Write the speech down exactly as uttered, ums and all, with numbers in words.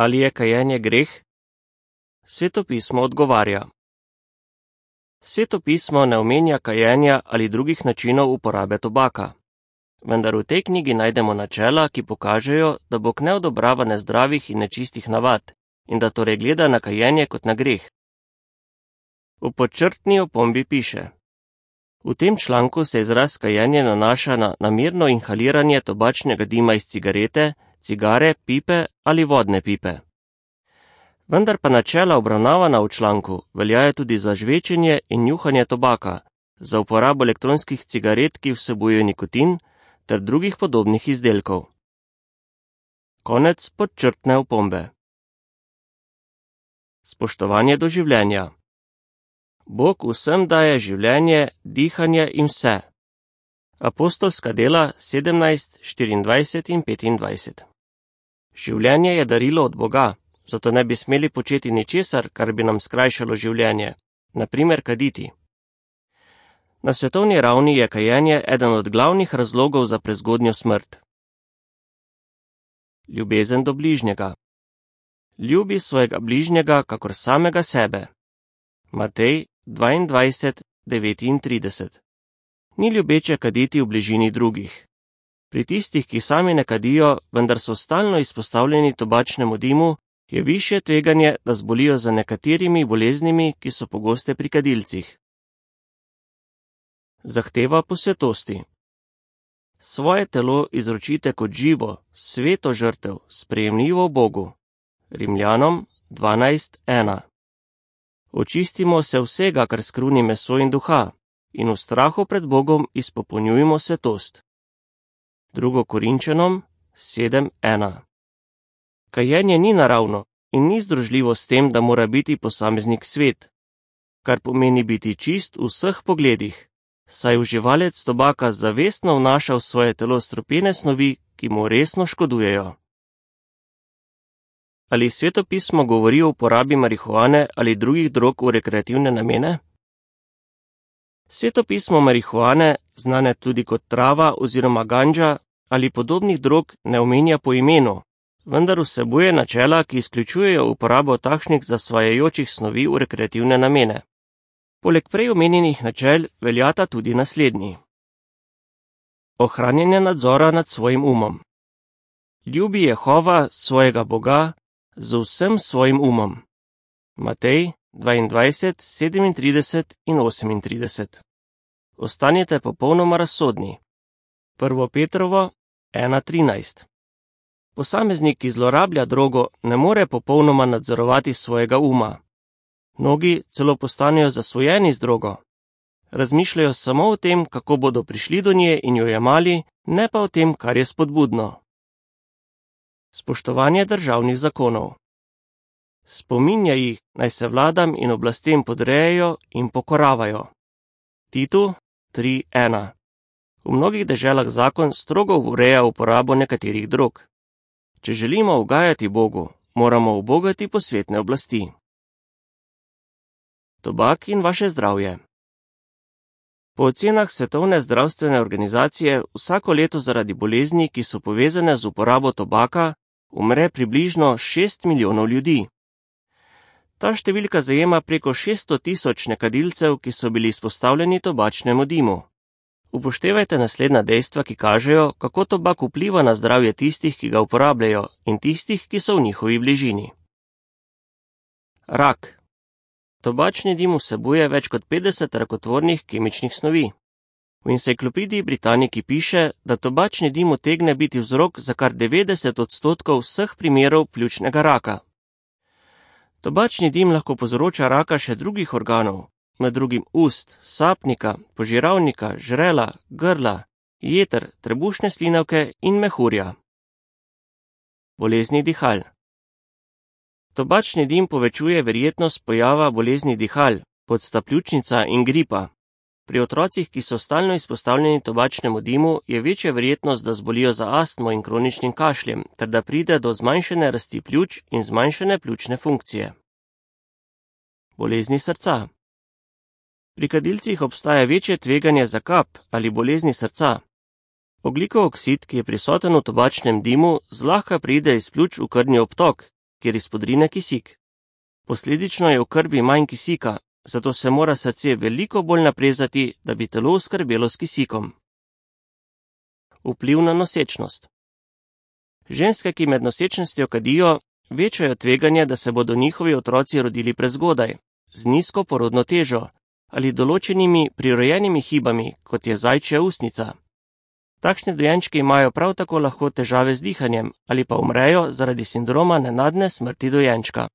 Ali je kajenje greh? Sveto pismo odgovarja. Sveto pismo ne omenja kajenja ali drugih načinov uporabe tobaka. Vendar v tej knjigi najdemo načela, ki pokažejo, da Bog ne odobrava nezdravih in nečistih navad in da torej gleda na kajenje kot na greh. V podčrtni opombi piše: v tem članku se izraz kajenje nanaša na namerno inhaliranje tobačnega dima iz cigarete, cigare, pipe ali vodne pipe. Vendar pa načela obravnavana v članku veljajo tudi za žvečenje in njuhanje tobaka, za uporabo elektronskih cigaret, ki vsebujejo nikotin, ter drugih podobnih izdelkov. Konec podčrtne opombe. Spoštovanje do življenja. Bog vsem daje življenje, dihanje in vse. Apostolska dela sedemnajst, štiriindvajset in petindvajset. Življenje je darilo od Boga, zato ne bi smeli početi ničesar, kar bi nam skrajšalo življenje, na primer kaditi. Na svetovni ravni je kajenje eden od glavnih razlogov za prezgodnjo smrt. Ljubezen do bližnjega. Ljubi svojega bližnjega kakor samega sebe. Matej dvaindvajset, devetintrideset. Ni ljubeče kaditi v bližini drugih. Pri tistih, ki sami ne kadijo, vendar so stalno izpostavljeni tobačnemu dimu, je višje tveganje, da zbolijo za nekaterimi boleznimi, ki so pogoste pri kadilcih. Zahteva po svetosti. Svoje telo izročite kot živo, sveto žrtev, sprejemljivo Bogu. Rimljanom dvanajst, ena. Očistimo se vsega, kar skruni meso in duha, in v strahu pred Bogom izpopolnjujemo svetost. Drugo Korinčanom sedem, ena. Kajenje ni naravno in ni združljivo s tem, da mora biti posameznik svet, kar pomeni biti čist v vseh pogledih, saj uživalec tobaka zavestno vnaša v svoje telo strupene snovi, ki mu resno škodujejo. Ali Sveto pismo govori o uporabi marihuane ali drugih drog v rekreativne namene? Sveto pismo marihuane, znane tudi kot trava oziroma ganđa ali podobnih drog, ne omenja po imenu, vendar vsebuje načela, ki izključujejo uporabo takšnih zasvajajočih snovi v rekreativne namene. Poleg prej omenjenih načel veljata tudi naslednji. Ohranjanje nadzora nad svojim umom. Ljubi Jehova, svojega Boga, z vsem svojim umom. Matej dvaindvajset, sedemintrideset in osemintrideset. Ostanite popolnoma razsodni. Prvo Petrovo ena, trinajst. Posameznik, ki zlorablja drogo, ne more popolnoma nadzorovati svojega uma. Mnogi celo postanejo zasvojeni z drogo. Razmišljajo samo o tem, kako bodo prišli do nje in jo jemali, ne pa o tem, kar je spodbudno. Spoštovanje državnih zakonov. Spominja jih, naj se vladam in oblastem podrejajo in pokoravajo. Titu tri, ena. V mnogih deželah zakon strogo ureja uporabo nekaterih drog. Če želimo ugajati Bogu, moramo ubogati posvetne oblasti. Tobak in vaše zdravje. Po ocenah Svetovne zdravstvene organizacije vsako leto zaradi bolezni, ki so povezane z uporabo tobaka, umre približno šest milijonov ljudi. Ta številka zajema preko šeststo tisoč nekadilcev, ki so bili izpostavljeni tobačnemu dimu. Upoštevajte naslednja dejstva, ki kažejo, kako tobak vpliva na zdravje tistih, ki ga uporabljajo, in tistih, ki so v njihovi bližini. Rak. Tobačni dim vsebuje več kot petdeset rakotvornih kemičnih snovi. V enciklopediji Britannici piše, da tobačni dim utegne biti vzrok za kar devetdeset odstotkov vseh primerov pljučnega raka. Tobačni dim lahko povzroča raka še drugih organov, med drugim ust, sapnika, požiralnika, žrela, grla, jeter, trebušne slinavke in mehurja. Bolezni dihal. Tobačni dim povečuje verjetnost pojava bolezni dihal, podsta pljučnica in gripa. Pri otrocih, ki so stalno izpostavljeni tobačnemu dimu, je večja verjetnost, da zbolijo za astmo in kroničnim kašljem, ter da pride do zmanjšane rasti pljuč in zmanjšane pljučne funkcije. Bolezni srca. Pri kadilcih obstaja večje tveganje za kap ali bolezni srca. Ogljikov oksid, ki je prisoten v tobačnem dimu, zlahka pride iz pljuč v krvni obtok kjer izpodrine kisik. Posledično je v krvi manj kisika, zato se mora srce veliko bolj naprezati, da bi telo oskrbelo s kisikom. Vpliv na nosečnost. Ženske, ki med nosečnostjo kadijo, večajo tveganje, da se bodo njihovi otroci rodili prezgodaj, z nizko porodno težo ali določenimi prirojenimi hibami, kot je zajčja usnica. Takšni dojenčki imajo prav tako lahko težave z dihanjem ali pa umrejo zaradi sindroma nenadne smrti dojenčka.